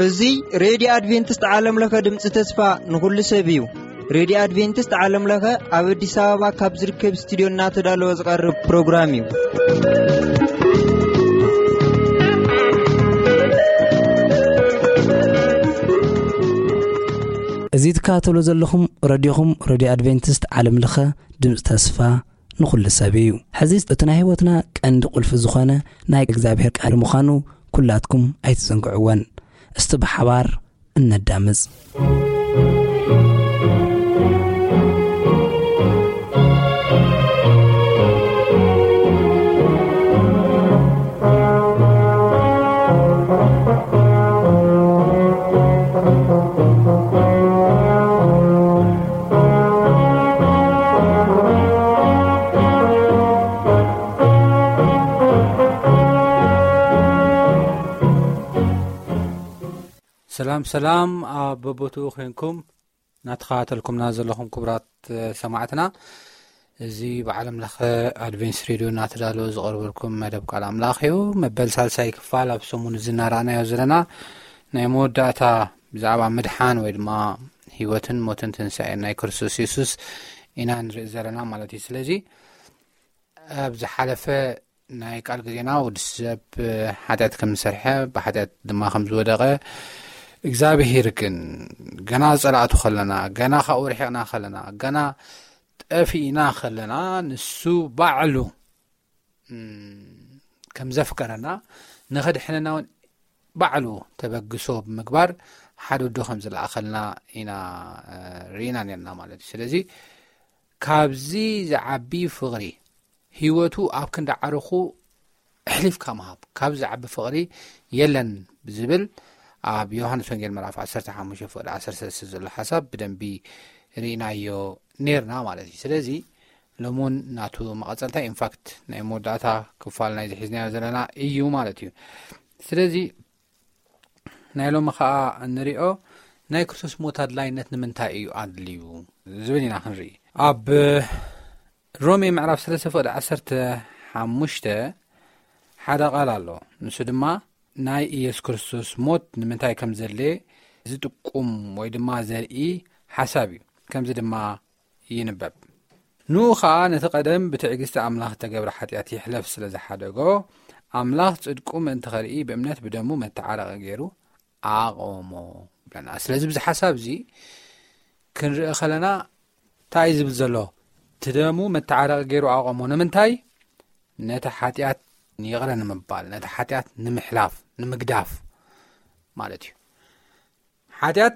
እዚ ሬድዮ ኣድቬንቲስት ዓለም ለኸ ድምፂ ተስፋ ንኹሉ ሰብ እዩ። ሬድዮ ኣድቬንቲስት ዓለም ለኸ ኣብ ኣዲስ ኣበባ ካብ ዝርከብ ስቱድዮ እናተዳለወ ዝቐርብ ፕሮግራም እዩ። እዚ ትከታተሉ ዘለኹም ረድዮኹም ሬድዮ ኣድቬንቲስት ዓለም ለኸ ድምፂ ተስፋ ንኹሉ ሰብ እዩ። ሕዚ እቲ ናይ ህይወትና ቀንዲ ቁልፊ ዝኾነ ናይ እግዚኣብሔር ቃል ምዃኑ ኩላትኩም ኣይትዘንግዕወን። እስቲ ብሓባር እነዳምፅ። ሰላም ሰላም፣ ኣብ በቦትኡ ኮንኩም እናተኸታተልኩምና ዘለኹም ክቡራት ሰማዕትና፣ እዚ ብዓለም ለኸ ኣድቬንስ ሬድዮ እናተዳለወ ዝቐርበልኩም መደብ ቃል ኣምላኽ እዩ። መበል ሳልሳይ ክፋል፣ ኣብ ሰሙን እዚ እናረኣናዮ ዘለና ናይ መወዳእታ ብዛዕባ ምድሓን ወይ ድማ ህይወትን ሞትን ትንሳኤን ናይ ክርስቶስ የሱስ ኢና ንርኢ ዘለና ማለት እዩ። ስለዚ ኣብ ዝሓለፈ ናይ ቃል ግዜና ወዲ ሰብ ሓጢኣት ከም ዝሰርሐ፣ ብሓጢኣት ድማ ከም ዝወደቐ፣ እግዚኣብሄር ግን ገና ጸላእቱ ከለና፣ ገና ካብኡ ርሒቕና ከለና፣ ገና ጠፊእና ከለና፣ ንሱ ባዕሉ፣ እም፣ ከም ዘፍቀረና፣ ንኸድሕነና እውን ባዕሉ ተበግሶ ብምግባር ሓደ ወዱ ከም ዝለኣኸልና ኢና፣ እ፣ ርኢና ነርና ማለት እዩ። ስለዚ ካብዚ ዝዓቢ ፍቕሪ፣ ህይወቱ ኣብ ክንዲ ዓርኹ ኣሕሊፍካ ምሃብ፣ ካብ ዝዓቢ ፍቕሪ የለን ዝብል ኣብ ዮሃንስ ወንጌል ምዕራፍ ዓሰርተ ሓሙሽተ ፍቕዲ ዓሰርተ ሰለስተ ዘሎ ሓሳብ ብደንቢ ርኢናዮ ነርና ማለት እዩ። ስለዚ ሎሙን ናቱ መቐጸልታ፣ ኢንፋክት ናይ መወዳእታ ክፋል ናይ ዝሒዝናዮ ዘለና እዩ ማለት እዩ። ስለዚ ናይ ሎሚ ኸኣ እንሪኦ ናይ ክርስቶስ ሞት ኣድላይነት ንምንታይ እዩ ኣድልዩ ዝብል ኢና ክንርኢ። ኣብ ሮሜ ምዕራፍ ሰለስተ ፍቕዲ ዓሰርተ ሓሙሽተ ሓደ ቃል ኣሎ። ንሱ ድማ ናይ ኢየሱስ ክርስቶስ ሞት ንምንታይ ከም ዘድለየ ዝጥቁም ወይ ድማ ዘርኢ ሓሳብ እዩ። ከምዚ ድማ ይንበብ። ንኡ ኸኣ ነቲ ቀደም ብትዕግስቲ ኣምላኽ እተገብረ ሓጢኣት ይሕለፍ ስለ ዝሓደጎ፣ ኣምላኽ ጽድቁ ምእንቲ ኸርኢ ብእምነት ብደሙ መተዓረቒ ገይሩ ኣቐሞ። ብለና። ስለዚ ብዚ ሓሳብ እዚ ክንርኢ ኸለና እንታይ እዩ ዝብል ዘሎ? እቲ ደሙ መተዓረቒ ገይሩ ኣቐሞ። ንምንታይ? ነቲ ሓጢኣት ይቕረ ንምባል፣ ነቲ ሓጢኣት ንምሕላፍ፣ ንምግዳፍ ማለት እዩ። ሓጢኣት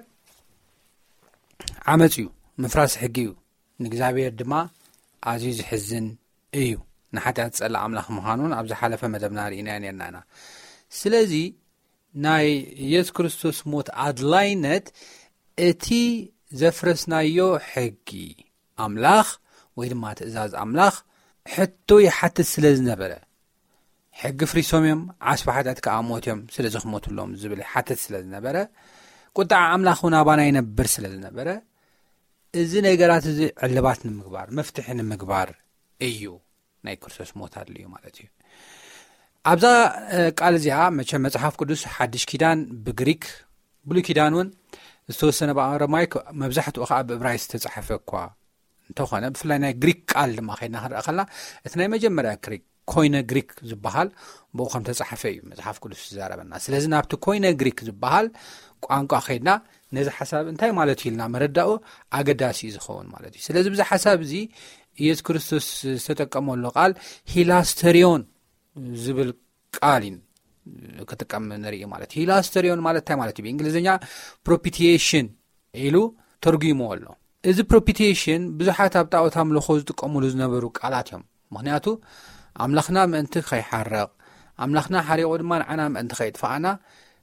ዓመጽ እዩ፣ ምፍራስ ሕጊ እዩ። ንእግዚኣብሔር ድማ ኣዝዩ ዝሕዝን እዩ። ንሓጢኣት ዝጸልእ ኣምላኽ ምዃኑን ኣብ ዝሓለፈ መደብና ርኢናዮ ነርና ኢና። ስለዚ ናይ ኢየሱስ ክርስቶስ ሞት ኣድላይነት እቲ ዘፍረስናዮ ሕጊ ኣምላኽ ወይ ድማ ትእዛዝ ኣምላኽ ሕቶ ይሓትት ስለ ዝነበረ፣ ሕጊ ፍሪሶም እዮም፣ ዓስቢ ሓጢኣት ከኣ ሞት እዮም፣ ስለዚ ክሞትሎም ዝብል ይሓትት ስለ ዝነበረ፣ ቁጥዓ ኣምላኽ እውን ኣባና ይነብር ስለ ዝነበረ፣ እዚ ነገራት እዚ ዕልባት ንምግባር፣ መፍትሒ ንምግባር እዩ ናይ ክርስቶስ ሞት ኣድልዩ ማለት እዩ። ኣብዛ፣ እ፣ ቃል እዚኣ መቸም መጽሓፍ ቅዱስ ሓድሽ ኪዳን ብግሪክ፣ ብሉይ ኪዳን እውን ዝተወሰነ ብኣረማይክ፣ መብዛሕትኡ ከኣ ብእብራይስጥ ዝተጻሕፈ እኳ እንተኾነ፣ ብፍላይ ናይ ግሪክ ቃል ድማ ከይድና ክንረኣ ከለና፣ እቲ ናይ መጀመርያ ግሪክ፣ ኮይነ ግሪክ ዝበሃል ብኡ ከም ተጻሕፈ እዩ መጽሓፍ ቅዱስ ዝዛረበና። ስለዚ ናብቲ ኮይነ ግሪክ ዝበሃል ቋንቋ ከይድና ነዚ ሓሳብ እንታይ ማለት እዩ ኢልና መረዳኡ ኣገዳሲ እዩ ዝኸውን ማለት እዩ። ስለዚ ብዚ ሓሳብ እዚ ኢየሱስ ክርስቶስ ዝተጠቀመሉ ቃል ሂላስተሪዮን ዝብል ቃል እዩ ክጥቀም ንርኢ ማለት እዩ። ሂላስተሪዮን ማለት እንታይ ማለት እዩ? ብእንግሊዝኛ ፕሮፒቲዬሽን ኢሉ ተርጉሞ ኣሎ። እዚ ፕሮፒቲዬሽን ብዙሓት ኣብ ጣዖት ኣምልኾ ዝጥቀሙሉ ዝነበሩ ቃላት እዮም። ምኽንያቱ ኣምላኽና ምእንቲ ከይሓርቕ፣ ኣምላኽና ሓሪቑ ድማ ንዓና ምእንቲ ከይጥፍኣና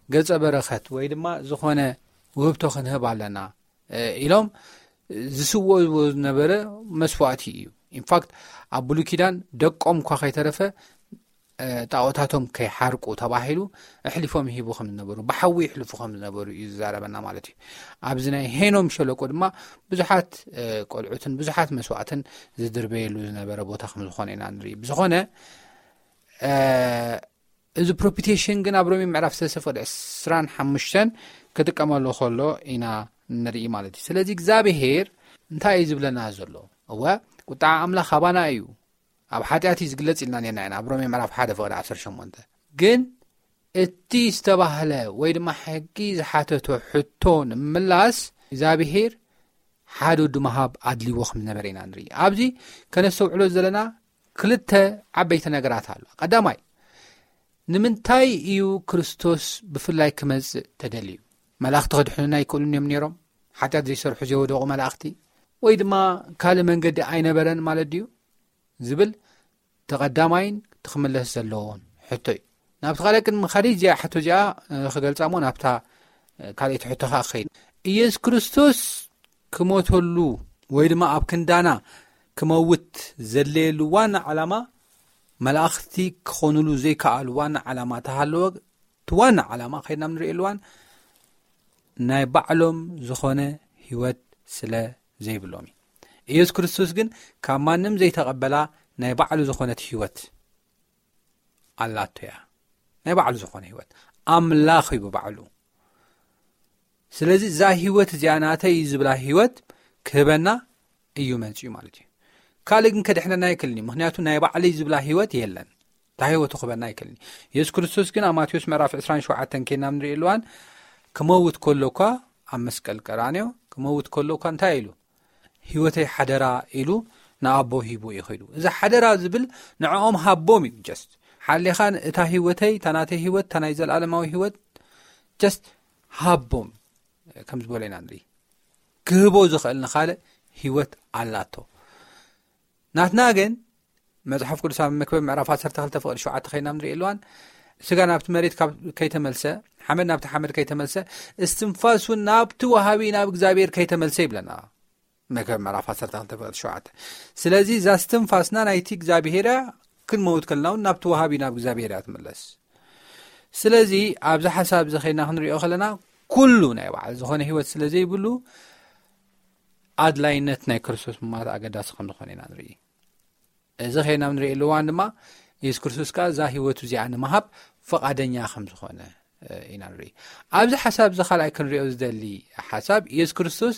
ገጸ በረኸት ወይ ድማ ዝኾነ ውህብቶ ክንህብ ኣለና፣ እ፣ ኢሎም ዝስውእዎ ዝነበረ መስዋእቲ እዩ። ኢንፋክት ኣብ ብሉይ ኪዳን ደቆም እኳ ከይተረፈ ጣዖታቶም ከይሓርቁ ተባሂሉ ኣሕሊፎም ይህቡ ከም ዝነበሩ፣ ብሓዊ ይሕልፉ ከም ዝነበሩ እዩ ዝዛረበና ማለት እዩ። ኣብዚ ናይ ሄኖም ሸለቆ ድማ ብዙሓት ቆልዑትን ብዙሓት መስዋዕትን ዝድርበየሉ ዝነበረ ቦታ ከም ዝኾነ ኢና ንርኢ። ብዝኾነ እዚ ፕሮፒቴሽን ግን ኣብ ሮሜ ምዕራፍ ሰለስተ ፍቕዲ ዕስራን ሓሙሽተን ክጥቀመሉ ከሎ ኢና ንርኢ ማለት እዩ። ስለዚ እግዚኣብሄር እንታይ እዩ ዝብለና ዘሎ? እወ፣ ቁጣዓ ኣምላኽ ኣባና እዩ፣ ኣብ ሓጢኣት እዩ ዝግለጽ ኢልና ነና ኢና ኣብ ሮሜ ምዕራፍ ሓደ ፍቕዲ ዓሰርተ ሸሞንተ። ግን እቲ ዝተባህለ ወይ ድማ ሕጊ ዝሓተቶ ሕቶ ንምላስ እግዚኣብሄር ሓደ ወዲ ምሃብ ኣድልዎ ከም ዝነበረ ኢና ንርኢ። ኣብዚ ከነስተውዕሎ ዘለና ክልተ ዓበይቲ ነገራት ኣሎ። ቀዳማይ፣ ንምንታይ እዩ ክርስቶስ ብፍላይ ክመጽእ ተደልዩ? መላእኽቲ ክድሕኑና ኣይክእሉን እዮም ነይሮም? ሓጢኣት ዘይሰርሑ ዘይወደቑ መላእኽቲ? ወይ ድማ ካልእ መንገዲ ኣይነበረን ማለት ድዩ? ዝብል ተቐዳማይን ትኽምለስ ዘለዎን ሕቶ እዩ። ናብቲ ካልእ ቅድሚ ኻዲ እዚኣ ሕቶ እዚኣ ክገልጻ እሞ ናብታ ካልኣይቲ ሕቶ ኸዓ ክኸይድ። ኢየሱስ ክርስቶስ ክሞተሉ ወይ ድማ ኣብ ክንዳና ክመውት ዘድለየሉ ዋና ዓላማ፣ መላእኽቲ ክኾኑሉ ዘይከኣሉ ዋና ዓላማ ተሃለወ። እቲ ዋና ዓላማ ከይድና ንርእየሉ እዋን ናይ ባዕሎም ዝኾነ ህይወት ስለ ዘይብሎም እዩ። ኢየሱስ ክርስቶስ ግን ካብ ማንም ዘይተቐበላ ናይ ባዕሉ ዝኾነት ህይወት ኣላቶ እያ። ናይ ባዕሉ ዝኾነ ህይወት ኣምላኽ እዩ ብባዕሉ። ስለዚ እዛ ህይወት እዚኣ ናተይ እዩ ዝብላ ህይወት ክህበና እዩ መጺኡ ማለት እዩ። ካልእ ግን ከድሕነና ኣይክእልን እዩ። ምኽንያቱ ናይ ባዕለይ ዝብላ ህይወት የለን። እታ ህይወቱ ክህበና ኣይክእልን እዩ። የሱስ ክርስቶስ ግን ኣብ ማቴዎስ ምዕራፍ ዕስራን ሸውዓተን ኬና ንርእየሉ እዋን ክመውት ከሎ እኳ ኣብ መስቀል ቀራንዮ ክመውት ከሎ እኳ እንታይ ኢሉ? ህይወተይ ሓደራ ኢሉ ንኣቦ ሂቡ እዩ ኸይዱ። እዚ ሓደራ ዝብል ንዕኦም ሃቦም እዩ። ጀስት ሓሌኻ እታ ህይወተይ፣ እታ ናተይ ህይወት፣ እታ ናይ ዘለኣለማዊ ህይወት ጀስት ሃቦም ከም ዝበሎ ኢና ንርኢ። ክህቦ ዝኽእል ንኻልእ ህይወት ኣላቶ። ናትና ግን መጽሓፍ ቅዱስ ኣብ መክብብ ምዕራፍ ዓሰርተ ክልተ ፍቕዲ ሸውዓተ ኸይና ንርኢ ኣለዋን፣ ስጋ ናብቲ መሬት ካብ ከይተመልሰ፣ ሓመድ ናብቲ ሓመድ ከይተመልሰ፣ እስትንፋስ እውን ናብቲ ወሃቢ ናብ እግዚኣብሔር ከይተመልሰ ይብለና። መክብብ ምዕራፍ ዓሰርተ ክልተ ፍቕዲ ሸውዓተ። ስለዚ እዛ እስትንፋስና ናይቲ እግዚኣብሔር እያ፣ ክንመውት ከለና እውን ናብቲ ወሃቢ ናብ እግዚኣብሔር እያ ትምለስ። ስለዚ ኣብዚ ሓሳብ እዚ ኸይና ክንሪኦ ከለና፣ ኩሉ ናይ ባዕሉ ዝኾነ ህይወት ስለ ዘይብሉ፣ ኣድላይነት ናይ ክርስቶስ ምማት ኣገዳሲ ከም ዝኾነ ኢና ንርኢ። እዚ ኸይና ንርኢ ኣለዋን ድማ የሱስ ክርስቶስ ከኣ እዛ ህይወቱ እዚኣ ንምሃብ ፍቓደኛ ከም ዝኾነ ኢና ንርኢ። ኣብዚ ሓሳብ እዚ ካልኣይ ክንሪኦ ዝደሊ ሓሳብ፣ የሱስ ክርስቶስ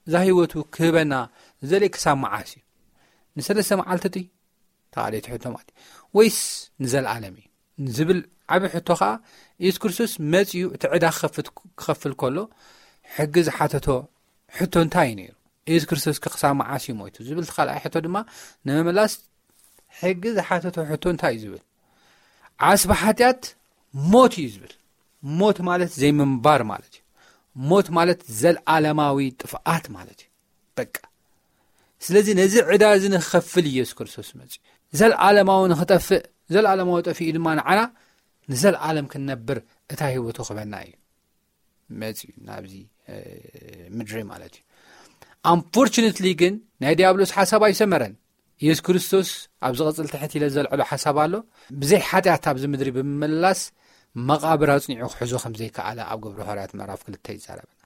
እዛ ህይወቱ ክህበና ዝደሊ ክሳብ መዓስ እዩ? ንሰለስተ መዓልቲ እቲ ተቓደይቲ ሕቶ ማለት እዩ። ወይስ ንዘለኣለም እዩ? ዝብል ዓቢ ሕቶ ኸኣ፣ የሱስ ክርስቶስ መጺኡ እቲ ዕዳ ክኸፍት-፣ ክኸፍል ከሎ ሕጊ ዝሓተቶ ሕቶ እንታይ እዩ ነይሩ? የሱስ ክርስቶስ ከ ክሳብ መዓስ እዩ ሞይቱ? ዝብል እቲ ካልኣይ ሕቶ ድማ ንምምላስ ሕጊ ዝሓተቶ ሕቶ እንታይ እዩ ዝብል? ዓስቢ ሓጢኣት ሞት እዩ ዝብል። ሞት ማለት ዘይምንባር ማለት እዩ። ሞት ማለት ዘልኣለማዊ ጥፍኣት ማለት እዩ። በቃ። ስለዚ ነዚ ዕዳ እዚ ንክኸፍል ኢየሱስ ክርስቶስ መጺኡ። ዘልኣለማዊ ንክጠፍእ፣ ዘልኣለማዊ ጠፊኡ ድማ ንዓና ንዘልኣለም ክንነብር እታ ህይወቱ ክበና እዩ መጺኡ ናብዚ፣ እ፣ ምድሪ ማለት እዩ። ኣንፎርቹነትሊ ግን ናይ ዲያብሎስ ሓሳብ ኣይሰመረን። ኢየሱስ ክርስቶስ ኣብ ዝቕጽል ትሕት ኢለ ዘልዕሎ ሓሳብ ኣሎ። ብዘይ ሓጢኣት ኣብዚ ምድሪ ብምምላስ መቓብር ኣጽኒዑ ክሕዞ ከም ዘይከኣለ ኣብ ግብሪ ሃዋርያት ምዕራፍ ክልተ ይዛረበና።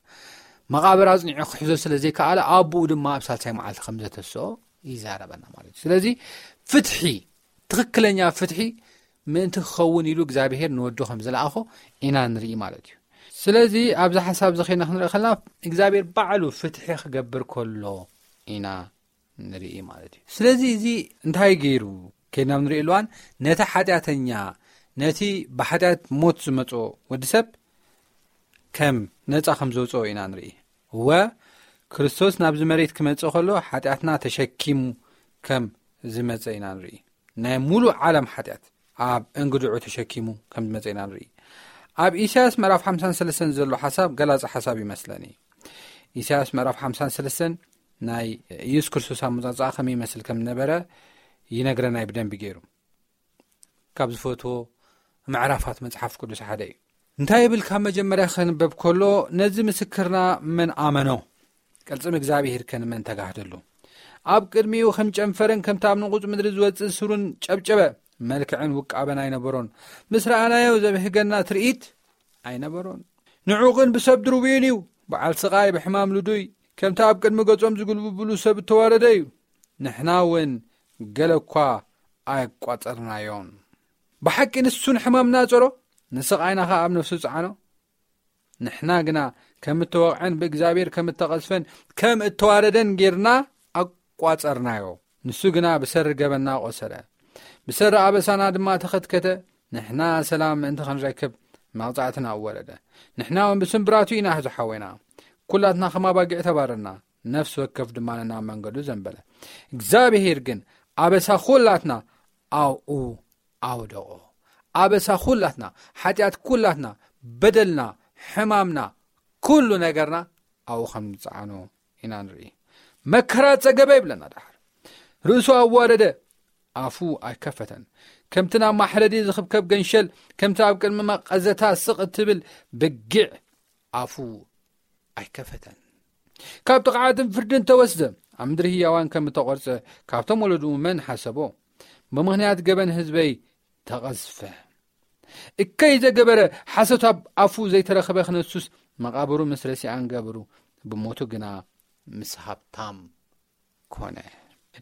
መቓብር ኣጽኒዑ ክሕዞ ስለ ዘይከኣለ ኣቦኡ ድማ ኣብ ሳልሳይ መዓልቲ ከም ዘተስኦ ይዛረበና ማለት እዩ። ስለዚ ፍትሒ፣ ትኽክለኛ ፍትሒ ምእንቲ ክኸውን ኢሉ እግዚኣብሄር ንወዱ ከም ዝለኣኾ ኢና ንርኢ ማለት እዩ። ስለዚ ኣብዚ ሓሳብ እዚ ኸይና ክንርኢ ከለና እግዚኣብሄር ባዕሉ ፍትሒ ክገብር ከሎ ኢና ንርኢ ማለት እዩ። ስለዚ እዚ እንታይ ገይሩ? ከይድና ንርኢ ኣለዋን ነቲ ሓጢኣተኛ፣ ነቲ ብሓጢኣት ሞት ዝመጾ ወዲ ሰብ ከም ነጻ ከም ዘውጽኦ ኢና ንርኢ። እወ፣ ክርስቶስ ናብዚ መሬት ክመጽእ ከሎ ሓጢኣትና ተሸኪሙ ከም ዝመጸ ኢና ንርኢ። ናይ ሙሉእ ዓለም ሓጢኣት ኣብ እንግድዑ ተሸኪሙ ከም ዝመጸ ኢና ንርኢ። ኣብ ኢሳያስ ምዕራፍ ሓምሳን ሰለስተን ዘሎ ሓሳብ ገላጺ ሓሳብ ይመስለኒ። ኢሳያስ ምዕራፍ ሓምሳን ሰለስተን ናይ ኢየሱስ ክርስቶስ ኣመጻጽኣ ከመይ ይመስል ከም ዝነበረ ይነግረና እዩ ብደንቢ ገይሩ። ካብ ዝፈትዎ ምዕራፋት መጽሓፍ ቅዱስ ሓደ እዩ። እንታይ ይብል? ካብ መጀመርያ ከንበብ ከሎ፣ ነዚ ምስክርና መን ኣመኖ? ቅልጽም እግዚኣብሄር ከ ንመን ተጋህደሉ? ኣብ ቅድሚኡ ከም ጨንፈርን ከምቲ ኣብ ንቑጽ ምድሪ ዝወጽእ ስሩን ጨብጨበ። መልክዕን ውቃበን ኣይነበሮን። ምስ ረኣናዮ ዘብህገና ትርኢት ኣይነበሮን። ንዑ ግን ብሰብ ድርቡይን እዩ፣ በዓል ስቓይ፣ ብሕማም ልዱይ፣ ከምቲ ኣብ ቅድሚ ገጾም ዝጉልብብሉ ሰብ እተዋረደ እዩ። ንሕና እውን ገለ እኳ ኣየቋጸርናዮን። ብሓቂ ንሱ ንሕማምና ጸሮ፣ ንስቓይና ኸኣ ኣብ ነፍሱ ጸዓኖ። ንሕና ግና ከም እተወቕዐን ብእግዚኣብሔር ከም እተቐስፈን ከም እተዋረደን ጌርና ኣቋጸርናዮ። ንሱ ግና ብሰሪ ገበንና ቆሰለ፣ ብሰሪ ኣበሳና ድማ ተኸትከተ። ንሕና ሰላም ምእንቲ ክንረክብ መቕጻዕትና ኣወረደ። ንሕና እውን ብስምብራቱ ኢና ዝሓወና። ኩላትና ከም ኣባጊዕ ተባረርና፣ ነፍሲ ወከፍ ድማ ነናብ መንገዱ ዘንበለ። እግዚኣብሄር ግን ኣበሳ ኩላትና ኣብኡ ኣውደቖ። ኣበሳ ኩላትና፣ ሓጢኣት ኩላትና፣ በደልና፣ ሕማምና፣ ኩሉ ነገርና ኣብኡ ከም ዝጸዓኖ ኢና ንርኢ። መከራ ጸገበ ይብለና። ደሓር ርእሱ ኣዋረደ፣ ኣፉ ኣይከፈተን። ከምቲ ናብ ማሕረዲ ዝኽብከብ ገንሸል፣ ከምቲ ኣብ ቅድሚ መቐዘታ ስቕ እትብል በጊዕ ኣፉ ኣይከፈተን። ካብ ጥቕዓትን ፍርድን ተወስደ፣ ኣብ ምድሪ ህያዋን ከም እተቖርጸ ካብቶም ወለድኡ መን ሓሰቦ? ብምኽንያት ገበን ህዝበይ ተቐዝፈ። እከይ ዘገበረ ሓሶት ኣብ ኣፉ ዘይተረኽበ ክነሱስ፣ መቓብሩ ምስ ረሲኣን ገብሩ፣ ብሞቱ ግና ምስ ሃብታም ኮነ።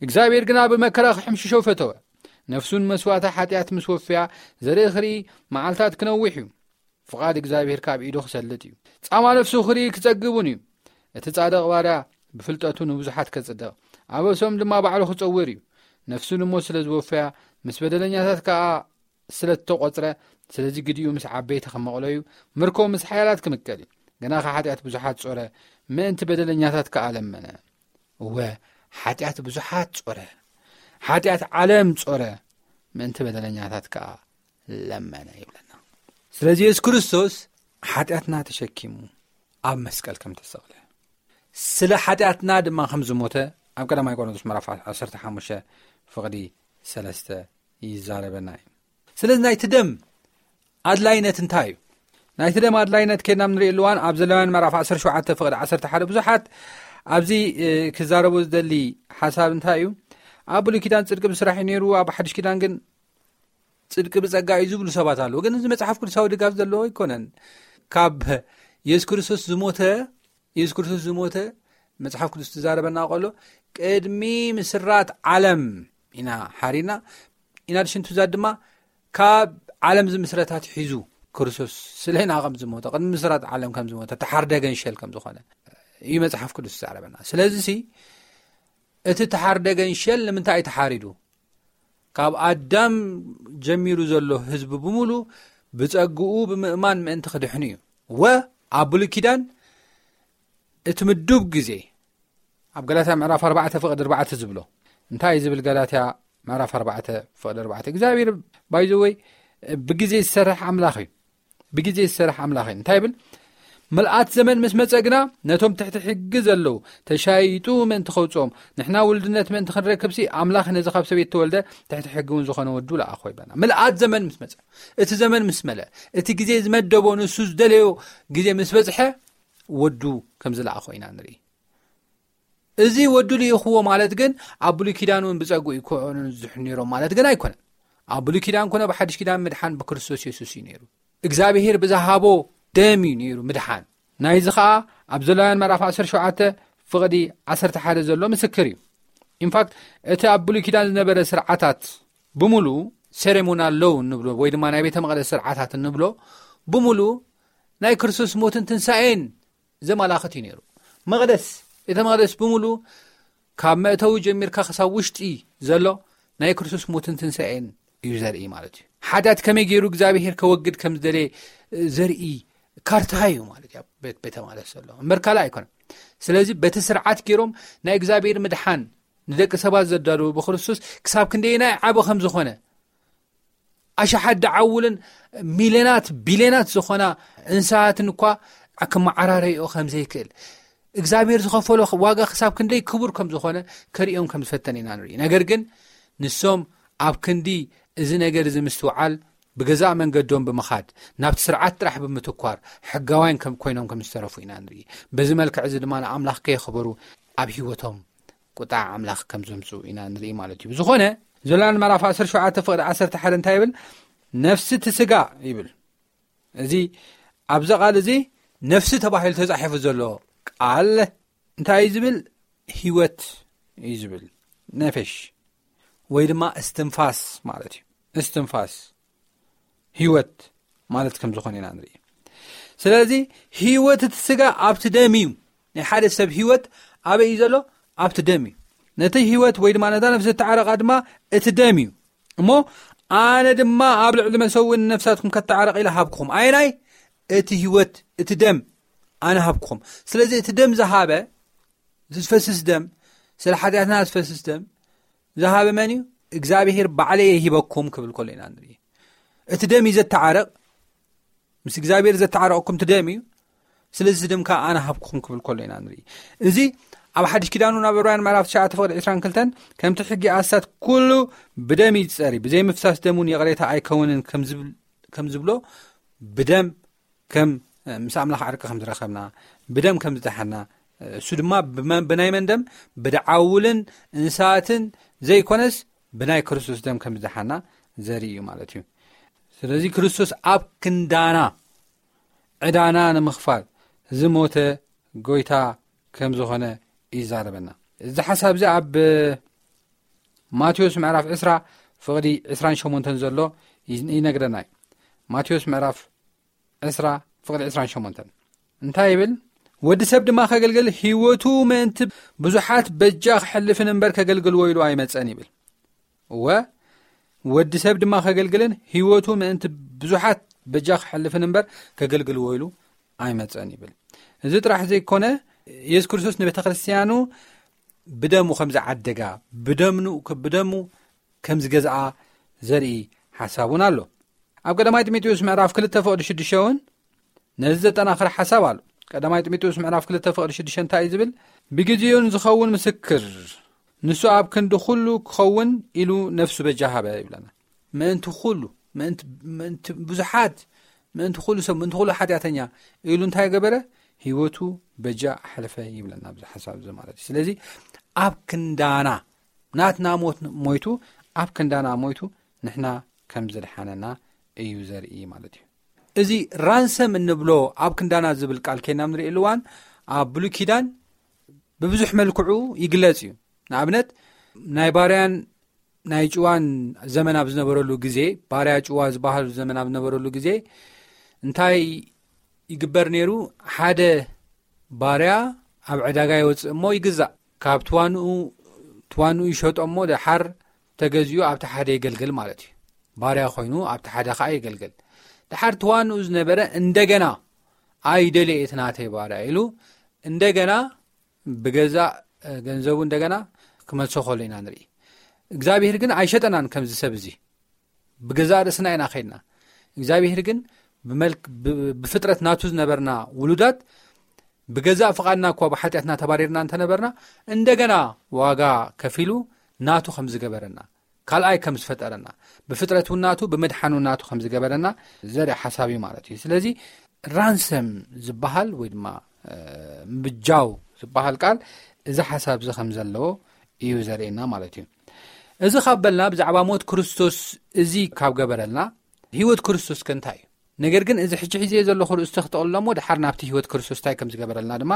እግዚኣብሔር ግና ብመከራ ክሕምሽሾ ፈተወ። ነፍሱ ንመስዋእታ ሓጢኣት ምስ ወፍያ፣ ዘርኢ ክርኢ መዓልታት ክነውሕ እዩ። ፍቓድ እግዚኣብሔር ካብ ኢዱ ክሰልጥ እዩ። ጻማ ነፍሱ ክርኢ ክጸግብ እውን እዩ። እቲ ጻድቕ ባርያ ብፍልጠቱ ንብዙሓት ከጽድቕ፣ ኣበሶም ድማ ባዕሉ ክጸውር እዩ። ነፍሱ ንሞት ስለ ዝወፈያ፣ ምስ በደለኛታት ከኣ ስለ እተቖጽረ፣ ስለዚ ግዲኡ ምስ ዓበይቲ ክመቕሎ እዩ፣ ምርኮ ምስ ሓያላት ክምቀል እዩ። ግና ከ ሓጢኣት ብዙሓት ጾረ፣ ምእንቲ በደለኛታት ከኣ ለመነ። እወ፣ ሓጢኣት ብዙሓት ጾረ፣ ሓጢኣት ዓለም ጾረ፣ ምእንቲ በደለኛታት ከኣ ለመነ ይብለና። ስለዚ የሱስ ክርስቶስ ሓጢኣትና ተሸኪሙ ኣብ መስቀል ከም ተሰቕለ፣ ስለ ሓጢኣትና ድማ ከም ዝሞተ ኣብ ቀዳማይ ቆሮንቶስ ምዕራፍ ዓሰርተ ሓሙሽተ ፍቕዲ ሰለስተ ይዛረበና እዩ። ስለዚ ናይቲ ደም ኣድላይነት እንታይ እዩ? ናይቲ ደም ኣድላይነት ከድና ንሪእሉ እዋን ኣብ ዘሌዋውያን ምዕራፍ ዓሰርተ ሸውዓተ ፍቕዲ ዓሰርተ ሓደ ብዙሓት ኣብዚ፣ እ፣ ክዛረቡ ዝደሊ ሓሳብ እንታይ እዩ? ኣብ ብሉይ ኪዳን ጽድቂ ብስራሕ እዩ ነይሩ፣ ኣብ ሓድሽ ኪዳን ግን ጽድቂ ብጸጋ እዩ ዝብሉ ሰባት ኣለዉ። ግን እዚ መጽሓፍ ቅዱሳዊ ድጋፍ ዘለዎ ኣይኮነን። ካብ የሱስ ክርስቶስ ዝሞተ፣ የሱስ ክርስቶስ ዝሞተ መጽሓፍ ቅዱስ ትዛረበና ከሎ ቅድሚ ምስራት ዓለም ኢና ሓሪና፣ ኢና ድሽንቱ ዛት ድማ ካብ ዓለም ዝምስረታት ሒዙ ክርስቶስ ስለና ከም ዝሞተ፣ ቅድሚ ምስራት ዓለም ከም ዝሞተ፣ ተሓርደ ገንሸል ከም ዝኾነ እዩ መጽሓፍ ቅዱስ ዝዛረበና። ስለዚ ሲ እቲ ተሓርደ ገንሸል ንምንታይ እዩ ተሓሪዱ? ካብ ኣዳም ጀሚሩ ዘሎ ህዝቢ ብምሉ ብጸግኡ ብምእማን ምእንቲ ክድሕኑ እዩ። ወ ኣብ ብሉይ ኪዳን እቲ ምዱብ ግዜ ኣብ ገላትያ ምዕራፍ ኣርባዕተ ፍቕዲ ኣርባዕተ ዝብሎ እንታይ እዩ ዝብል? ገላትያ ምዕራፍ ኣርባዕተ ፍቕዲ ኣርባዕተ፣ እግዚኣብሔር ባይዘወይ ብግዜ ዝሰርሕ ኣምላኽ እዩ። ብግዜ ዝሰርሕ ኣምላኽ እዩ። እንታይ ይብል? ምልኣት ዘመን ምስ መጸ ግና ነቶም ትሕቲ ሕጊ ዘለዉ ተሻይጡ ምእንቲ ከውጽኦም፣ ንሕና ውልድነት ምእንቲ ክንረክብሲ ኣምላኽ ነዚ ካብ ሰበይቲ ተወልደ ትሕቲ ሕጊ እውን ዝኾነ ወዱ ለኣኾ ይብለና። ምልኣት ዘመን ምስ መጸ፣ እቲ ዘመን ምስ መለ፣ እቲ ግዜ ዝመደቦ ንሱ ዝደለዮ ግዜ ምስ በጽሐ ወዱ ከም ዝለኣኾ ኢና ንርኢ። እዚ ወዱ ልኢኽዎ ማለት ግን ኣብ ብሉይ ኪዳን እውን ብጸግኡ ይኮኑ ዝድሕኑ ነይሮም ማለት ግን ኣይኮነን። ኣብ ብሉይ ኪዳን ኮነ ብሓድሽ ኪዳን ምድሓን ብክርስቶስ የሱስ እዩ ነይሩ። እግዚኣብሔር ብዝሃቦ ደም እዩ ነይሩ ምድሓን። ናይዚ ኸኣ ኣብ ዘሌዋውያን ምዕራፍ ዓሰርተ ሸውዓተ ፍቕዲ ዓሰርተ ሓደ ዘሎ ምስክር እዩ። ኢንፋክት እቲ ኣብ ብሉይ ኪዳን ዝነበረ ስርዓታት ብምሉ ሴሬሞናል ሎው እንብሎ ወይ ድማ ናይ ቤተ መቕደስ ስርዓታት እንብሎ ብምሉ ናይ ክርስቶስ ሞትን ትንሳኤን ዘመላኽት እዩ ነይሩ። መቕደስ፣ ቤተ መቕደስ ብምሉ ካብ መእተዊ ጀሚርካ ክሳብ ውሽጢ ዘሎ ናይ ክርስቶስ ሞትን ትንሳኤን እዩ ዘርኢ ማለት እዩ። ሓጢኣት ከመይ ገይሩ እግዚኣብሔር ከወግድ ከም ዝደለየ ዘርኢ ካርታ እዩ ማለት እዩ። ኣብ ቤት፣ ቤተ መቕደስ ዘሎ እምበር ካልእ ኣይኮነን። ስለዚ በቲ ስርዓት ገይሮም ናይ እግዚኣብሔር ምድሓን ንደቂ ሰባት ዘዳለዉ ብክርስቶስ ክሳብ ክንደየናይ ዓቢ ከም ዝኾነ ኣሽሓት ደዓውልን ሚልዮናት ቢልዮናት ዝኾና እንስሳትን እኳ ክመዓራረይኦ ከም ዘይክእል እግዚኣብሔር ዝኸፈሎ ዋጋ ክሳብ ክንደይ ክቡር ከም ዝኾነ ከርእዮም ከም ዝፈተን ኢና ንርኢ። ነገር ግን ንሶም ኣብ ክንዲ እዚ ነገር እዚ ምስትውዓል ብገዛእ መንገዶም ብምኻድ ናብቲ ስርዓት ጥራሕ ብምትኳር ሕጋውያን ከም ኮይኖም ከም ዝተረፉ ኢና ንርኢ። በዚ መልክዕ እዚ ድማ ንኣምላኽ ከየኽበሩ ኣብ ህይወቶም ቁጣ ኣምላኽ ከም ዘምጽኡ ኢና ንርኢ ማለት እዩ። ብዝኾነ ዘሌዋውያን ምዕራፍ ዓሰርተ ሸውዓተ ፍቕዲ ዓሰርተ ሓደ እንታይ ይብል? ነፍሲ እቲ ስጋ ይብል። እዚ ኣብዚ ቃል እዚ ነፍሲ ተባሂሉ ተጻሒፉ ዘሎ ቃል እንታይ እዩ ዝብል? ህይወት እዩ ዝብል። ነፈሽ ወይ ድማ እስትንፋስ ማለት እዩ። እስትንፋስ ህይወት ማለት ከም ዝኾነ ኢና ንርኢ። ስለዚ ህይወት እቲ ስጋ ኣብቲ ደም እዩ። ናይ ሓደ ሰብ ህይወት ኣበይ እዩ ዘሎ? ኣብቲ ደም እዩ። ነቲ ህይወት ወይ ድማ ነታ ነፍሲ እተዓረቓ ድማ እቲ ደም እዩ። እሞ ኣነ ድማ ኣብ ልዕሊ መሰውኢ ንነፍሳትኩም ከተዓረቕ ኢለ ሃብኩም። ኣየናይ? እቲ ህይወት፣ እቲ ደም ኣነ ሃብኩም። ስለዚ እቲ ደም ዝሃበ፣ ዝፈስስ ደም፣ ስለ ሓጢኣትና ዝፈስስ ደም ዝሃበ መን እዩ? እግዚኣብሔር ባዕለይ ሂበኩም ክብል ከሎ ኢና ንርኢ። እቲ ደም እዩ ዘተዓረቕ። ምስ እግዚኣብሔር ዘተዓረቕኩም እቲ ደም እዩ። ስለዚ እዚ ደም ከዓ ኣነ ሃብኩም ክብል ከሎ ኢና ንርኢ። እዚ ኣብ ሓድሽ ኪዳኑ ናብ ዕብራውያን ምዕራፍ ትሽዓተ ፍቕዲ ዕስራን ክልተን ከምቲ ሕጊ ኣስታት ኩሉ ብደም እዩ ዝጸሪ፣ ብዘይ ምፍሳስ ደም እውን ይቕሬታ ኣይከውንን ከም ዝብል-፣ ከም ዝብሎ ብደም ከም፣ ምስ ኣምላኽ ዕርቂ ከም ዝረኸብና፣ ብደም ከም ዝደሓና፣ እሱ ድማ ብመ-፣ ብናይ መን ደም? ብደዓውልን እንስሳትን ዘይኮነስ ብናይ ክርስቶስ ደም ከም ዝደሓና ዘርኢ እዩ ማለት እዩ። ስለዚ ክርስቶስ ኣብ ክንዳና ዕዳና ንምኽፋል ዝሞተ ጎይታ ከም ዝኾነ ይዛረበና። እዚ ሓሳብ እዚ ኣብ ማቴዎስ ምዕራፍ ዕስራ ፍቕዲ ዕስራን ሸሞንተን ዘሎ ይዝ-፣ ይነግረና እዩ። ማቴዎስ ምዕራፍ ዕስራ ፍቕዲ ዕስራን ሸሞንተን እንታይ ይብል? "ወዲ ሰብ ድማ ከገልግል ህይወቱ ምእንቲ ብዙሓት በጃ ክሕልፍን እምበር ከገልግልዎ ኢሉ ኣይመጸን" ይብል። እወ፣ "ወዲ ሰብ ድማ ከገልግልን ህይወቱ ምእንቲ ብዙሓት በጃ ክሕልፍን እምበር ከገልግልዎ ኢሉ ኣይመጸን" ይብል። እዚ ጥራሕ ዘይኮነ፣ የሱስ ክርስቶስ ንቤተ ክርስቲያኑ ብደሙ ከም ዝዓደጋ፣ ብደምኑ-፣ ብደሙ ከም ዝገዝኣ ዘርኢ ሓሳብ እውን ኣሎ። ኣብ ቀዳማይ ጢሞቴዎስ ምዕራፍ ክልተ ፍቕዲ ሽዱሽተ እውን ነዚ ዘጠናኽር ሓሳብ ኣሎ። ቀዳማይ ጢሞቴዎስ ምዕራፍ ክልተ ፍቕዲ ሽዱሽተ እንታይ እዩ ዝብል? "ብግዜኡን ዝኸውን ምስክር፣ ንሱ ኣብ ክንዲ ኩሉ ክኸውን ኢሉ ነፍሱ በጃ ሃበ" ይብለና። ምእንቲ ኩሉ፣ ምእንቲ፣ ምእንቲ ብዙሓት፣ ምእንቲ ኩሉ ሰብ፣ ምእንቲ ኩሉ ሓጢኣተኛ ኢሉ እንታይ ገበረ? ህይወቱ በጃ ኣሕለፈ ይብለና ኣብዚ ሓሳብ እዚ ማለት እዩ። ስለዚ ኣብ ክንዳና ናትና ሞት ሞይቱ፣ ኣብ ክንዳና ሞይቱ ንሕና ከም ዝድሓነና እዩ ዘርኢ ማለት እዩ። እዚ ራንሰም እንብሎ ኣብ ክንዳና ዝብል ቃል ከይና ንርኢ እዋን ኣብ ብሉይ ኪዳን ብብዙሕ መልክዑ ይግለጽ እዩ። ንኣብነት ናይ ባርያን ናይ ጭዋን ዘመን ኣብ ዝነበረሉ ግዜ፣ ባርያ ጭዋ ዝበሃሉ ዘመን ኣብ ዝነበረሉ ግዜ እንታይ ይግበር ነይሩ? ሓደ ባርያ ኣብ ዕዳጋ ይወፅእ እሞ ይግዛእ። ካብ ትዋንኡ፣ ትዋንኡ ይሸጦ እሞ ደሓር ተገዚኡ ኣብቲ ሓደ የገልግል ማለት እዩ። ባርያ ኮይኑ ኣብቲ ሓደ ከዓ የገልግል። ደሓር ትዋንኡ ዝነበረ እንደገና "ኣይደልየ እቲ ናተይ ባርያ" ኢሉ እንደገና ብገዛእ፣ እ፣ ገንዘቡ እንደገና ክመልሶ ከሎ ኢና ንርኢ። እግዚኣብሔር ግን ኣይሸጠናን ከምዚ ሰብ እዚ። ብገዛእ ርእስና ኢና ኸይድና። እግዚኣብሔር ግን ብመልክ-፣ ብ-፣ ብፍጥረት ናቱ ዝነበርና ውሉዳት ብገዛእ ፍቓድና እኳ ብሓጢኣትና ተባሪርና እንተነበርና፣ እንደገና ዋጋ ከፊሉ ናቱ ከም ዝገበረና፣ ካልኣይ ከም ዝፈጠረና፣ ብፍጥረት እውን ናቱ፣ ብምድሓን እውን ናቱ ከም ዝገበረና ዘርኢ ሓሳብ እዩ ማለት እዩ። ስለዚ ራንሰም ዝበሃል ወይ ድማ፣ እ፣ ምብጃው ዝበሃል ቃል እዚ ሓሳብ እዚ ከም ዘለዎ እዩ ዘርእየና ማለት እዩ። እዚ ካብ በልና ብዛዕባ ሞት ክርስቶስ እዚ ካብ ገበረልና፣ ህይወት ክርስቶስ ከ እንታይ እዩ? ነገር ግን እዚ ሕጂ ሒዘ ዘለኹ ርእስቲ ክጠቕልሎ እሞ ድሓር ናብቲ ህይወት ክርስቶስ እንታይ ከም ዝገበረልና ድማ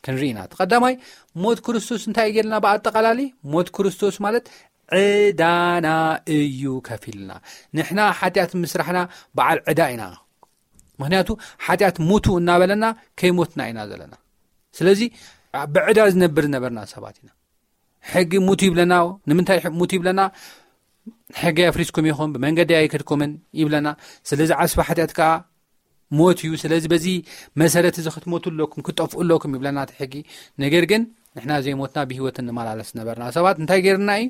ክንርኢ ኢና። እቲ ቀዳማይ ሞት ክርስቶስ እንታይ እዩ ጌርልና? ብኣጠቓላሊ ሞት ክርስቶስ ማለት ዕዳና እዩ ከፊልና። ንሕና ሓጢኣት ምስራሕና በዓል ዕዳ ኢና። ምኽንያቱ ሓጢኣት ሙቱ እናበለና ከይሞትና ኢና ዘለና። ስለዚ ብዕዳ ዝነብር ዝነበርና ሰባት ኢና። ሕጊ ሙቱ ይብለና። ንምንታይ ሕ-፣ ሙቱ ይብለና? ሕጊ ኣፍሪስኩም ኢኹም፣ ብመንገዲ ኣይከድኩምን ይብለና። ስለዚ ዓስቢ ሓጢኣት ከኣ ሞት እዩ። ስለዚ በዚ መሰረት እዚ ክትሞቱ ኣለኩም፣ ክትጠፍኡ ኣለኩም ይብለና እቲ ሕጊ። ነገር ግን ንሕና ዘይሞትና ብህይወት እንመላለስ ነበርና ሰባት እንታይ ጌርና እዩ?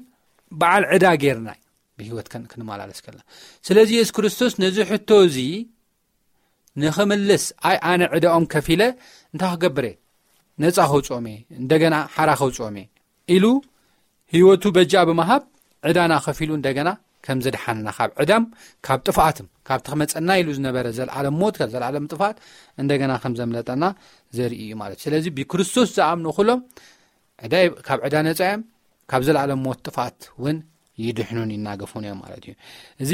በዓል ዕዳ ጌርና እዩ ብህይወት ከን-፣ ክንመላለስ ከለና። ስለዚ የሱስ ክርስቶስ ነዚ ሕቶ እዚ ንኽምልስ፣ "ኣይ ኣነ ዕዳኦም ከፊለ እንታይ ክገብር እየ? ነጻ ከውጽኦም እየ፣ እንደገና ሓራ ከውጽኦም እየ" ኢሉ ህይወቱ በጃ ብምሃብ ዕዳና ከፊሉ እንደገና ከም ዘድሓነና፣ ካብ ዕዳም ካብ ጥፍኣትም ካብቲ ክመጸና ኢሉ ዝነበረ ዘልኣለም ሞት፣ ካብ ዘልኣለም ጥፍኣት እንደገና ከም ዘምለጠና ዘርኢ እዩ ማለት እዩ። ስለዚ ብክርስቶስ ዝኣምኑ ኩሎም ዕዳ፣ ካብ ዕዳ ነጻ እዮም፣ ካብ ዘልኣለም ሞት ጥፍኣት እውን ይድሕኑን ይናገፉን እዮም ማለት እዩ። እዚ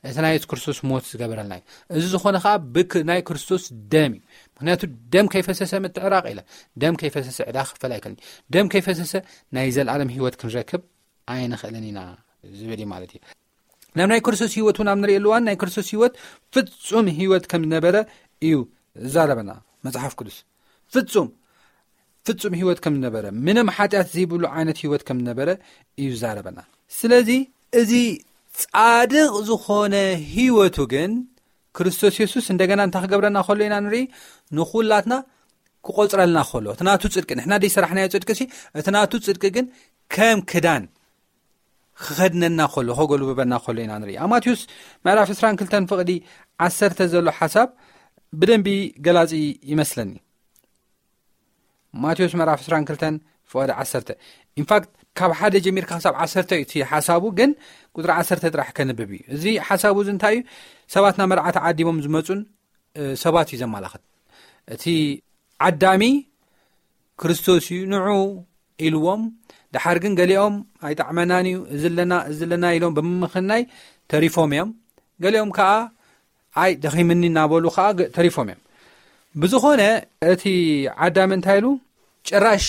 እቲ ናይ የሱስ ክርስቶስ ሞት ዝገበረልና እዩ። እዚ ዝኾነ ከዓ ብናይ ክርስቶስ ደም እዩ። ምክንያቱ ደም ከይፈሰሰ ምትዕራቕ የለን። ደም ከይፈሰሰ ዕዳ ክፈል ኣይከልን። ደም ከይፈሰሰ ናይ ዘለኣለም ህይወት ክንረክብ ኣይንኽእልን ኢና ዝብል እዩ ማለት እዩ። ናብ ናይ ክርስቶስ ህይወት እውን ኣብ ንርእየሉ እዋን ናይ ክርስቶስ ህይወት ፍጹም ህይወት ከም ዝነበረ እዩ ዝዛረበና መጽሓፍ ቅዱስ። ፍጹም ፍጹም ህይወት ከም ዝነበረ፣ ምንም ሓጢኣት ዘይብሉ ዓይነት ህይወት ከም ዝነበረ እዩ ዝዛረበና። ስለዚ እዚ ጻድቕ ዝኾነ ህይወቱ ግን ክርስቶስ የሱስ እንደገና እንታይ ክገብረና ከሎ ኢና ንርኢ? ንኹላትና ክቆጽረልና ከሎ፣ እቲ ናቱ ጽድቂ፣ ንሕና ደይ ሰራሕናዮ ጽድቂ ሲ፣ እቲ ናቱ ጽድቂ ግን ከም ክዳን ክኸድነና ከሎ፣ ከጎልብበና ከሎ ኢና ንርኢ። ኣብ ማቴዎስ ምዕራፍ ዕስራን ክልተን ፍቕዲ ዓሰርተ ዘሎ ሓሳብ ብደንቢ ገላጺ ይመስለኒ። ማቴዎስ ምዕራፍ ዕስራን ክልተን ፍቕዲ ዓሰርተ። ኢንፋክት ካብ ሓደ ጀሚርካ ክሳብ ዓሰርተ እዩ እቲ ሓሳቡ፣ ግን ቁጽሪ ዓሰርተ ጥራሕ ከንብብ እዩ። እዚ ሓሳቡ እዚ እንታይ እዩ? ሰባት ናብ መርዓ ተዓዲሞም ዝመጹን፣ እ፣ ሰባት እዩ ዘመላኽት። እቲ ዓዳሚ ክርስቶስ እዩ፣ ንዑ ኢልዎም። ደሓር ግን ገሊኦም ኣይጠዕመናን እዩ፣ እዚ ኣለና፣ እዚ ኣለና ኢሎም ብምምኽናይ ተሪፎም እዮም። ገሊኦም ከኣ ኣይ ደኺምኒ እናበሉ ከኣ ገ-፣ ተሪፎም እዮም። ብዝኾነ እቲ ዓዳሚ እንታይ ኢሉ? ጭራሽ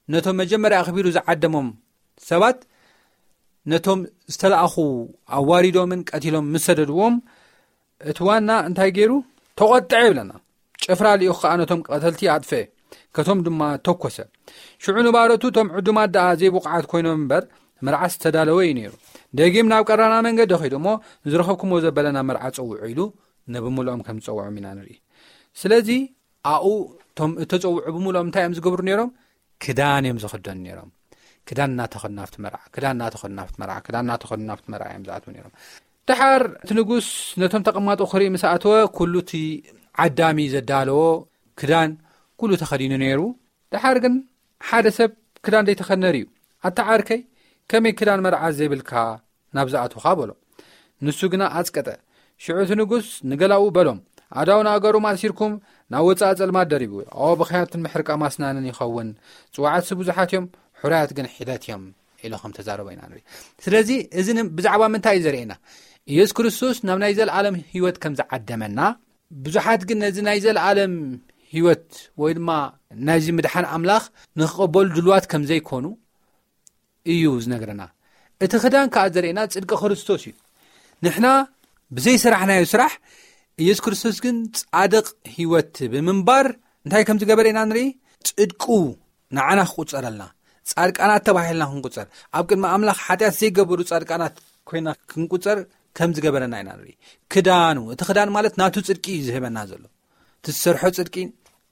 ነቶም መጀመርያ ኣኽቢሩ ዝዓደሞም ሰባት ነቶም ዝተለኣኹ ኣዋሪዶምን ቀቲሎም ምስ ሰደድዎም፣ እቲ ዋና እንታይ ገይሩ? ተቖጥዐ ይብለና። ጭፍራ ልኢኹ ከኣ ነቶም ቀተልቲ ኣጥፍአ፣ ከቶም ድማ ተኮሰ። ሽዑ ንባሮቱ፣ እቶም ዕዱማት ደኣ ዘይብቑዓት ኮይኖም እምበር፣ መርዓስ ዝተዳለወ እዩ ነይሩ። ደጊም ናብ ቀራና መንገዲ ኸይዱ እሞ፣ ንዝረኸብኩምዎ ዘበለ ናብ መርዓ ጸውዑ ኢሉ ንብምልኦም ከም ዝጸውዖም ኢና ንርኢ። ስለዚ ኣብኡ እቶም እተጸውዑ ብምልኦም እንታይ እዮም ዝገብሩ ነይሮም? ክዳን እዮም ዝኽደኑ ነይሮም። ክዳን እናተኸድኑ ኣብቲ መርዓ፣ ክዳን እናተኸድኑ ኣብቲ መርዓ፣ ክዳን እናተኸድኑ ኣብቲ መርዓ እዮም ዝኣትዉ ነይሮም። ደሓር እቲ ንጉስ ነቶም ተቐማጦ ክርኢ ምስ ኣተወ፣ ኩሉ እቲ ዓዳሚ ዘዳለዎ ክዳን ኩሉ ተኸዲኑ ነይሩ። ደሓር ግን ሓደ ሰብ ክዳን ዘይተኸድነ ርእዩ፣ "ኣታ ዓርከይ፣ ከመይ ክዳን መርዓ ዘይብልካ ናብ ዝኣትውኻ?" በሎ። ንሱ ግና ኣጽቀጠ። ሽዑ እቲ ንጉስ ንገላኡ በሎም፣ "ኣእዳውን ኣእጋሩን ኣሲርኩም ናብ ወጻኢ ጸልማት ደርብይዎ። ኦ፣ ብኽያትን ምሕርቃም ኣስናንን ይኸውን። ጽዋዓትሲ ብዙሓት እዮም፣ ሕሩያት ግን ሒደት እዮም" ኢሉ ከም ተዛረቦ ኢና ንርኢ። ስለዚ እዚ ን-፣ ብዛዕባ ምንታይ እዩ ዘርእየና? ኢየሱስ ክርስቶስ ናብ ናይ ዘለኣለም ህይወት ከም ዝዓደመና፣ ብዙሓት ግን ነዚ ናይ ዘለኣለም ህይወት ወይ ድማ ናይዚ ምድሓን ኣምላኽ ንኽቕበሉ ድልዋት ከም ዘይኮኑ እዩ ዝነግረና። እቲ ክዳን ከኣ ዘርእየና ጽድቂ ክርስቶስ እዩ። ንሕና ብዘይ ስራሕናዮ ስራሕ ኢየሱስ ክርስቶስ ግን ጻድቕ ህይወት ብምንባር እንታይ ከም ዝገበረ ኢና ንርኢ። ጽድቁ ንዓና ክቁጸረልና፣ ጻድቃናት ተባሂልና ክንቁጸር፣ ኣብ ቅድሚ ኣምላኽ ሓጢኣት ዘይገብሩ ጻድቃናት ኮይና ክንቁጸር ከም ዝገበረና ኢና ንርኢ። ክዳኑ፣ እቲ ክዳን ማለት ናቱ ጽድቂ እዩ ዝህበና ዘሎ። እቲ ዝሰርሖ ጽድቂ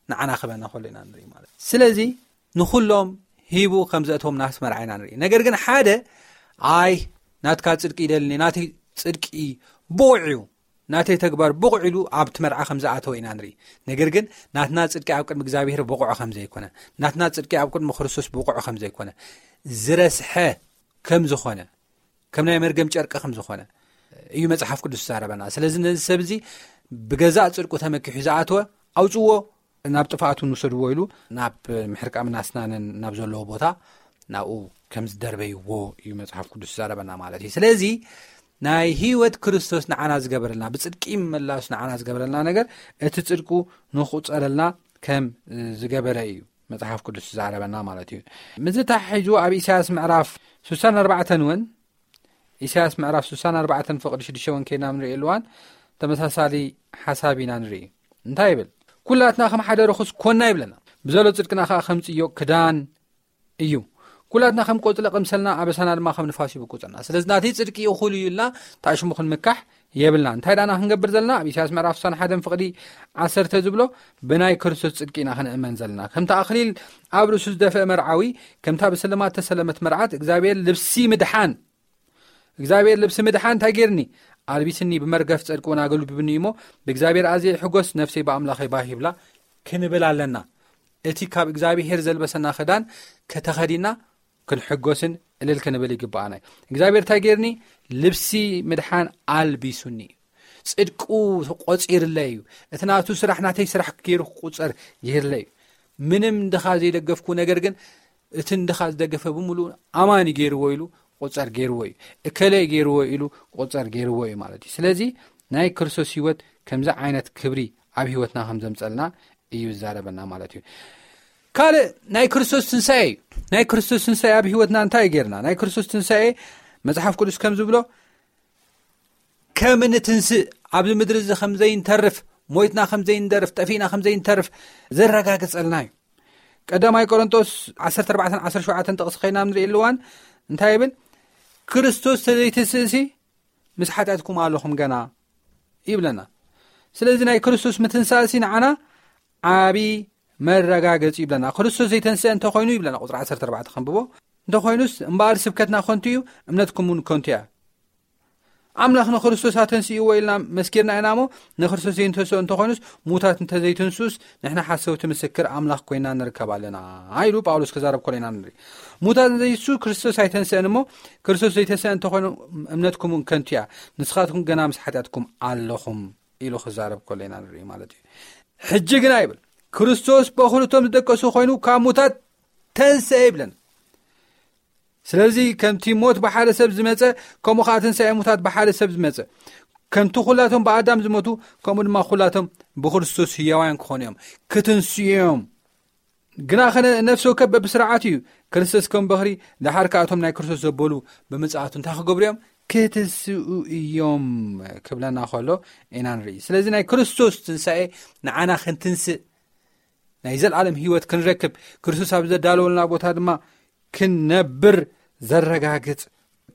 ንዓና ክበና ከሎ ኢና ንርኢ ማለት። ስለዚ ንኹሎም ሂቡ ከም ዘእተዎም ናብቲ መርዓ ኢና ንርኢ። ነገር ግን ሓደ፣ "ኣይ፣ ናትካ ጽድቂ ይደልኒ፣ ናተይ ጽድቂ ብቑዕ እዩ፣ ናተይ ተግባር ብቑዕ" ኢሉ ኣብቲ መርዓ ከም ዝኣተወ ኢና ንርኢ። ነገር ግን ናትና ጽድቂ ኣብ ቅድሚ እግዚኣብሔር ብቑዕ ከም ዘይኮነ፣ ናትና ጽድቂ ኣብ ቅድሚ ክርስቶስ ብቑዕ ከም ዘይኮነ፣ ዝረስሐ ከም ዝኾነ፣ ከም ናይ መርገም ጨርቂ ከም ዝኾነ እዩ መጽሓፍ ቅዱስ ዝዛረበና። ስለዚ ነዚ ሰብ እዚ ብገዛእ ጽድቁ ተመኪሑ ዝኣተወ ኣውጽዎ፣ ናብ ጥፍኣቱ ንውሰድዎ ኢሉ ናብ ምሕርቃምን ኣስናንን ናብ ዘለዎ ቦታ ናብኡ ከም ዝደርበይዎ እዩ መጽሓፍ ቅዱስ ዝዛረበና ማለት እዩ። ስለዚ ናይ ህይወት ክርስቶስ ንዓና ዝገበረልና፣ ብጽድቂ ምምላሱ ንዓና ዝገበረልና ነገር፣ እቲ ጽድቁ ንኽቁጸረልና ከም ዝገበረ እዩ መጽሓፍ ቅዱስ ዝዛረበና ማለት እዩ። ምስዚ ተሓሒዙ ኣብ ኢሳያስ ምዕራፍ ስሳን ኣርባዕተን እውን፣ ኢሳያስ ምዕራፍ ስሳን ኣርባዕተን ፍቕዲ ሽዱሽተ እውን ከይድና ንርእየሉ እዋን ተመሳሳሊ ሓሳብ ኢና ንርኢ። እንታይ ይብል? "ኩላትና ከም ሓደ ርኹስ ኮና" ይብለና። "ብዘሎ ጽድቅና ከኣ ከም ጽዮቕ ክዳን እዩ። ኩላትና ከም ቆጽሊ ቀምሰልና፣ ኣበሳና ድማ ከም ንፋስ ይብቁጸና። ስለዚ ናተይ ጽድቂ እኹል እዩ" ኢልና ተኣሽሙ ክንምካሕ የብልና። እንታይ ዳና ክንገብር ዘለና? ኣብ ኢሳያስ ምዕራፍ ስሳን ሓደን ፍቕዲ ዓሰርተ ዝብሎ፣ ብናይ ክርስቶስ ጽድቂ ኢና ክንእመን ዘለና። ከምቲ ኣኽሊል ኣብ ርእሱ ዝደፍአ መርዓዊ፣ ከምታ ብስልማት ተሰለመት መርዓት፣ እግዚኣብሔር ልብሲ ምድሓን፣ እግዚኣብሔር ልብሲ ምድሓን እንታይ ጌርኒ? ኣልቢስኒ፣ ብመርገፍ ጽድቂ እውን ኣገልቢብኒ እሞ፣ ብእግዚኣብሔር ኣዝየ ይሕጎስ፣ ነፍሰይ ብኣምላኸይ ባህ ይብላ ክንብል ኣለና። እቲ ካብ እግዚኣብሔር ዘልበሰና ክዳን ከተኸዲና ክንሕጎስን እልል ክንብል ይግብኣና እዩ። እግዚኣብሔር እንታይ ጌርኒ? ልብሲ ምድሓን ኣልቢሱኒ። ጽድቁ ቆጺርለይ እዩ። እቲ ናቱ ስራሕ ናተይ ስራሕ ገይሩ ክቁጸር ይህለይ እዩ። ምንም እንድኻ ዘይደገፍኩ፣ ነገር ግን እቲ እንድኻ ዝደገፈ ብምሉእ ኣማኒ ገይርዎ ኢሉ ቁፀር ገይርዎ እዩ። እከለ ገይርዎ ኢሉ ቁፀር ገይርዎ እዩ ማለት እዩ። ስለዚ ናይ ክርስቶስ ህይወት ከምዚ ዓይነት ክብሪ ኣብ ህይወትና ከም ዘምፀልና እዩ ዝዛረበና ማለት እዩ። ካልእ ናይ ክርስቶስ ትንሳኤ እዩ። ናይ ክርስቶስ ትንሳኤ ኣብ ህይወትና እንታይ እዩ ገይርና? ናይ ክርስቶስ ትንሳኤ መጽሓፍ ቅዱስ ከም ዝብሎ ከም እንትንስእ፣ ኣብዚ ምድሪ እዚ ከም ዘይንተርፍ፣ ሞይትና ከም ዘይንደርፍ፣ ጠፊእና ከም ዘይንተርፍ ዘረጋግጸልና እዩ። ቀዳማይ ቆሮንቶስ ዓሰርተ ኣርባዕተ ዓሰርተ ሸውዓተ ጥቕሲ ኸይና ንርኢ ኣለዋን እንታይ ይብል? ክርስቶስ ተዘይትስእሲ ምስ ሓጢኣትኩም ኣለኹም ገና ይብለና። ስለዚ ናይ ክርስቶስ ምትንሳእሲ ንዓና ዓቢ መረጋገጺ ይብለና። ክርስቶስ ዘይተንስአ እንተኾይኑ ይብለና፣ ቁጽሪ ዓሰርተ ኣርባዕተ ከንብቦ። እንተኾይኑስ እምበኣር ስብከትና ከንቱ እዩ፣ እምነትኩም እውን ከንቱ እያ። ኣምላኽ ንክርስቶስ ኣተንስእዎ ኢልና መስኪርና ኢና እሞ፣ ንክርስቶስ ዘይንተስኦ እንተኾይኑስ፣ ሙታት እንተዘይትንሱስ፣ ንሕና ሓሰውቲ ምስክር ኣምላኽ ኮይና ንርከብ ኣለና ኢሉ ጳውሎስ ክዛረብ ከሎ ኢና ንርኢ። ሙታት እንተዘይትንሱ ክርስቶስ ኣይተንስአን እሞ፣ ክርስቶስ ዘይተንስአ እንተኾይኑ እምነትኩም እውን ከንቱ እያ፣ ንስኻትኩም ገና ምስ ሓጢኣትኩም ኣለኹም ኢሉ ክዛረብ ከሎ ኢና ንርኢ ማለት እዩ። ሕጂ ግና ይብል፣ ክርስቶስ በኹሉ እቶም ዝደቀሱ ኮይኑ ካብ ሙታት ተንስአ ይብለን። ስለዚ ከምቲ ሞት ብሓደ ሰብ ዝመጸ፣ ከምኡ ኸዓ ትንሳኤ ሙታት ብሓደ ሰብ ዝመጸ። ከምቲ ኩላቶም ብኣዳም ዝሞቱ፣ ከምኡ ድማ ኩላቶም ብክርስቶስ ህያዋያን ክኾኑ እዮም፣ ክትንስኡ እዮም። ግና ኸነ ነፍሲ ወከፍ በብስርዓት እዩ፣ ክርስቶስ ከም በኽሪ፣ ደሓር ከኣ እቶም ናይ ክርስቶስ ዘበሉ ብምጽኣቱ እንታይ ክገብሩ እዮም? ክትንስኡ እዮም ክብለና ከሎ ኢና ንርኢ። ስለዚ ናይ ክርስቶስ ትንሳኤ ንዓና ክንትንስእ፣ ናይ ዘለዓለም ህይወት ክንረክብ፣ ክርስቶስ ኣብ ዘዳለወልና ቦታ ድማ ክንነብር ዘረጋግጽ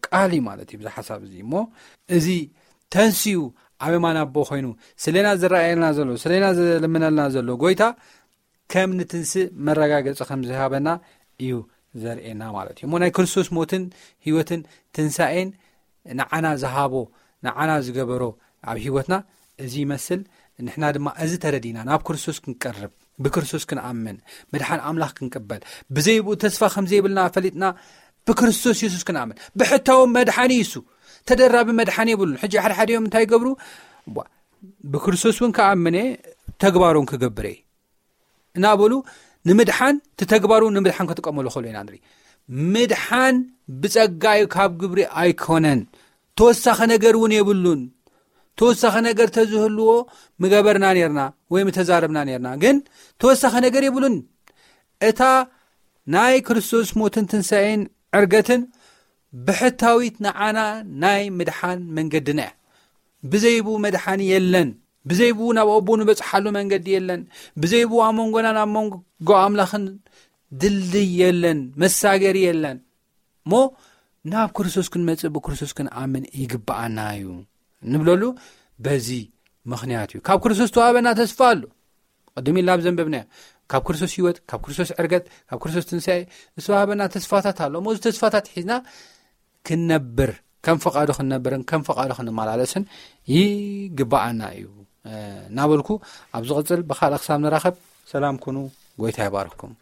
ቃል እዩ ማለት እዩ፣ ብዚ ሓሳብ እዚ። እሞ እዚ ተንስኡ ኣብ የማን ኣቦ ኮይኑ ስለና ዝረኣየልና ዘሎ፣ ስለና ዝልምነልና ዘሎ ጎይታ ከም ንትንስእ መረጋገጺ ከም ዝሃበና እዩ ዘርእየና ማለት እዩ። እሞ ናይ ክርስቶስ ሞትን ህይወትን ትንሳኤን ንዓና ዝሃቦ፣ ንዓና ዝገበሮ ኣብ ህይወትና እዚ ይመስል። ንሕና ድማ እዚ ተረዲና ናብ ክርስቶስ ክንቀርብ፣ ብክርስቶስ ክንኣምን፣ ምድሓን ኣምላኽ ክንቅበል፣ ብዘይብኡ ተስፋ ከም ዘይብልና ፈሊጥና ብክርስቶስ የሱስ ክንኣምን። ብሕታዊ መድሓኒ እዩ እሱ። ተደራቢ መድሓኒ የብሉን። ሕጂ ሓደ ሓደ እዮም እንታይ ይገብሩ? ቧ፣ ብክርስቶስ እውን ክኣምን እየ፣ ተግባሮን ክገብር እየ እናበሉ ንምድሓን፣ እቲ ተግባሩ ንምድሓን ክጥቀመሉ ከሎ ኢና ንርኢ። ምድሓን ብጸጋ እዩ፣ ካብ ግብሪ ኣይኮነን። ተወሳኺ ነገር እውን የብሉን። ተወሳኺ ነገር ተዝህልዎ ምገበርና ኔርና ወይ ምተዛረብና ኔርና። ግን ተወሳኺ ነገር የብሉን። እታ ናይ ክርስቶስ ሞትን ትንሳኤን ዕርገትን ብሕታዊት ንዓና ናይ ምድሓን መንገድና እያ። ብዘይብኡ መድሓኒ የለን። ብዘይብኡ ናብ ኣቦ ንበጽሓሉ መንገዲ የለን። ብዘይብኡ ኣብ መንጎና ናብ መንጎ ኣምላኽን ድልድይ የለን፣ መሳገሪ የለን። እሞ ናብ ክርስቶስ ክንመጽእ ብክርስቶስ ክንኣምን ይግብኣና እዩ ንብለሉ በዚ ምኽንያት እዩ። ካብ ክርስቶስ ተዋህበና ተስፋ ኣሎ። ቅድም ኢልና ኣብ ዘንበብናዮ፣ ካብ ክርስቶስ ህይወት፣ ካብ ክርስቶስ ዕርገት፣ ካብ ክርስቶስ ትንሳኤ ዝተዋህበና ተስፋታት ኣሎ። እሞ እዚ ተስፋታት ሒዝና ክንነብር፣ ከም ፈቓዱ ክንነብርን ከም ፈቓዱ ክንመላለስን ይግብኣና እዩ፣ እ፣ እናበልኩ ኣብ ዝቕጽል ብኻልእ ክሳብ ንራኸብ ሰላም ኩኑ። ጎይታ ይባርኽኩም።